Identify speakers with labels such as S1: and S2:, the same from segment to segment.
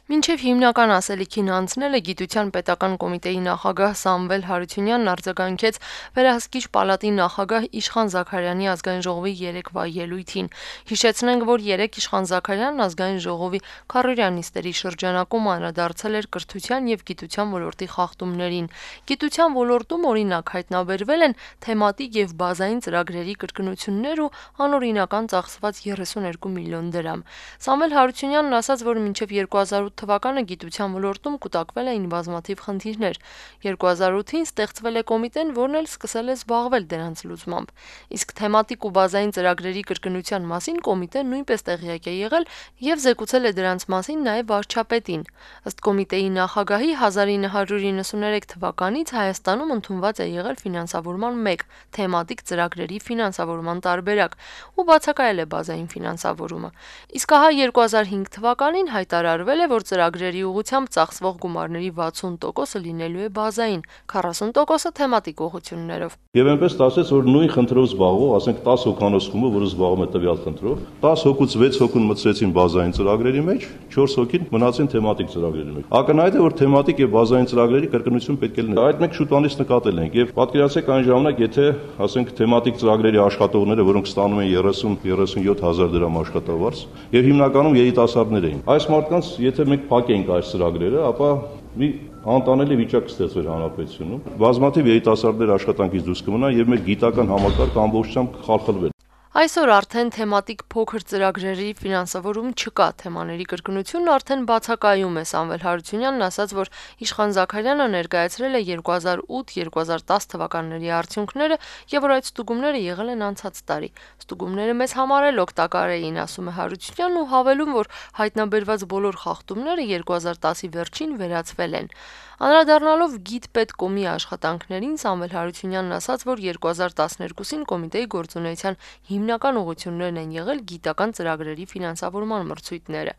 S1: Մինչև հիմնական ասելիքին անցնելը Գիտության պետական կոմիտեի նախագահ Սամվել Հարությունյանն արձագանքեց Վերահսկիչ պալատի նախագահ Իշխան Զաքարյանի ազգային ժողովի երեկվա ելույթին։ Հիշեցնենք, որ երեկ Իշխան Զաքարյանն ազգային ժողովի քառորյա նիստերի շրջանակում անդրադարձել էր կրթության եւ գիտության ոլորտի խախտումներին։ Գիտության ոլորտում օրինակ հայտնաբերվել են թեմատիկ եւ բազային ծրագրերի կրկնություններ ու անօրինական ծախսված 32 միլիոն դրամ։ Սամվել Հարությունյանն ասաց, որ մինչև 2008 թվականը գիտության ոլորտում կուտակվել էին բազմաթիվ խնդիրներ։ 2008-ին ստեղծվել է կոմիտեն, որն էլ սկսել է զբաղվել դրանց լուծմամբ։ Իսկ թեմատիկ ու բազային ծրագրերի կրկնության մասին կոմիտեն նույնպես տեղյակ է եղել եւ զեկուցել է դրանց մասին նաեւ վարչապետին։ Ըստ կոմիտեի նախագահի 1993 թվականից Հայաստանում ընդունված է եղել ֆինանսավորման 1 թեմատիկ ծրագրերի ֆինանսավորման տարբերակ ու բացակայել է բազային ֆինանսավորումը։ Իսկ ահա 2005 թվականին հայտարարվել է, որ ծրագրերի ուղղությամբ ծախսվող գումարների 60%-ը լինելու է բազային, 40%-ը թեմատիկ ուղղություններով։
S2: Եվ այնպես ստացվեց, որ նույն խնդրով զբաղվող, ասենք 10 հոգանոց խումբը, որը զբաղվում է տվյալ խնդրով, 10 հոգուց 6 հոգուն մտցրեցին բազային ծրագրերի մեջ, 4 հոգին մնացին թեմատիկ ծրագրերի մեջ։ Ակնհայտ է, որ թեմատիկ եւ բազային ծրագրերի կրկնություն պետք է լինի։ Այդ մենք շուտանից նկատել ենք եւ պատկերացրեք այն ժամանակ, եթե ասենք թեմատիկ ծրագրերի աշխատողները, որոնք ստանում են 30-37 հազար դրամ աշխատավարձ, եւ հիմնականում երիտասարդներ էին։ Այս մարդկանց, եթե մենք փակենք այս ծրագրերը, ապա մի անտանելի վիճակ կստեղծվեր հանրապետությունում։ Բազմաթիվ երիտասարդներ աշխատանքից դուրս կմնան եւ մեր գիտական համակարգը ամբողջությամբ կխալխլվի։
S1: Այսօր արդեն թեմատիկ փոքր ծրագրերի ֆինանսավորում չկա, թեմաների կրկնությունն արդեն բացակայում է։ Սամվել Հարությունյանն ասաց, որ Իշխան Զաքարյանը ներկայացրել է 2008-2010 թվականների արդյունքները եւ որ այդ ստուգումները եղել են անցած տարի։ Ստուգումները մեզ համար էլ օգտակար էին, ասում է Հարությունյանն ու հավելում, որ հայտնաբերված բոլոր խախտումները 2010-ի վերջին վերացվել են։ Անդրադառնալով Գիտպետկոմի աշխատանքներին, Սամվել Հարությունյանն ասաց, որ 2012-ին կոմիտեի գործունեության հիմնական ուղղություններն են եղել գիտական ծրագրերի ֆինանսավորման մրցույթները։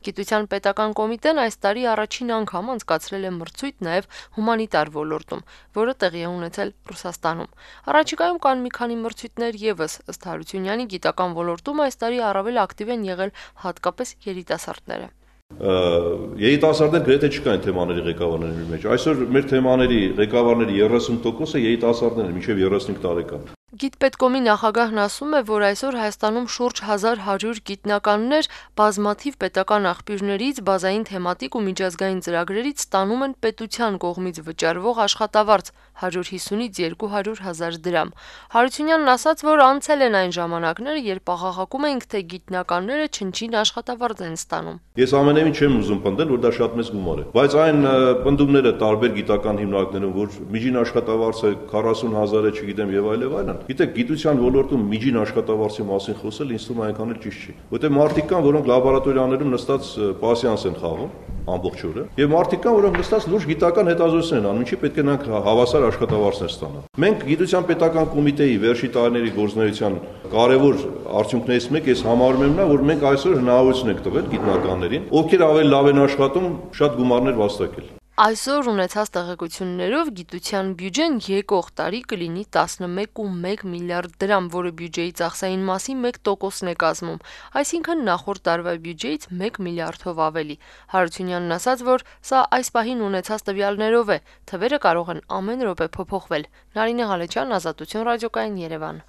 S1: Գիտության պետական կոմիտեն այս տարի առաջին անգամ անցկացրել է մրցույթ նաև հումանիտար ոլորտում, որը տեղի է ունեցել Ռուսաստանում։ Առաջիկայում կան մի քանի մրցույթներ եւս, ըստ Հարությունյանի գիտական ոլորտում այս տարի առավել ակտիվ են եղել հատկապես երիտասարդները։
S2: Երիտասարդներ գրեթե չկային թեմաների ղեկավարների մեջ։ Այսօր մեր թեմաների ղեկավարների 30%-ը երիտասարդներ են, մինչև 35 տարեկան։
S1: Գիտպետկոմի նախագահն ասում է, որ այսօր Հայաստանում շուրջ 1100 գիտնականներ բազմաթիվ պետական աղբյուրներից, բազային թեմատիկ ու միջազգային ծրագրերից ստանում են պետության կողմից վճարվող աշխատավարձ 150-ից 200 հազար դրամ։ Հարությունյանն ասաց, որ անցել են այն ժամանակները, երբ աղաղակում էինք, թե գիտնականները չնչին աշխատավարձ են ստանում։
S2: Ես ամենևին չեմ ուզում պնդել, որ դա շատ մեծ գումար է, բայց այն պնդումները տարբեր գիտական հիմնարկներում, որ միջին աշխատավարձը 40 հազար է, չգիտեմ եւ այլն, Գիտեք, գիտության ոլորտում միջին աշխատավարձի մասին խոսել ինձ թվում է այնքան էլ ճիշտ չի։ Որտեղ մարդիկ կան, որոնք լաբորատորիաներում նստած պասյանս են խաղում ամբողջ օրը, եւ մարդիկ կան, որոնք նստած լուրջ գիտական հետազոտություններ են անում, ինչի պետք է նրանք հավասար աշխատավարձներ ստանան։ Մենք գիտության պետական կոմիտեի վերջի տարիների գործունեության կարևոր արդյունքներից մեկը ես համարում եմ նա, որ մենք այսօր հնարավորություն ենք տվել գիտնականներին, ովքեր ավելի լավ են աշխատում, շատ գումարներ վաստակել։
S1: Այսօր ունեցած տեղեկություններով գիտության բյուջեն եկող տարի կլինի 11.1 միլիարդ դրամ, որը բյուջեի ծախսային մասի 1%-ն է կազմում, այսինքն նախորդ տարվա բյուջեից 1 միլիարդով ավելի։ Հարությունյանն ասաց, որ սա այս պահին ունեցած տվյալներով է, թվերը կարող են ամեն րոպե փոփոխվել։ Նարինե Ղալեչյան, Ազատություն ռադիոկայան, Երևան։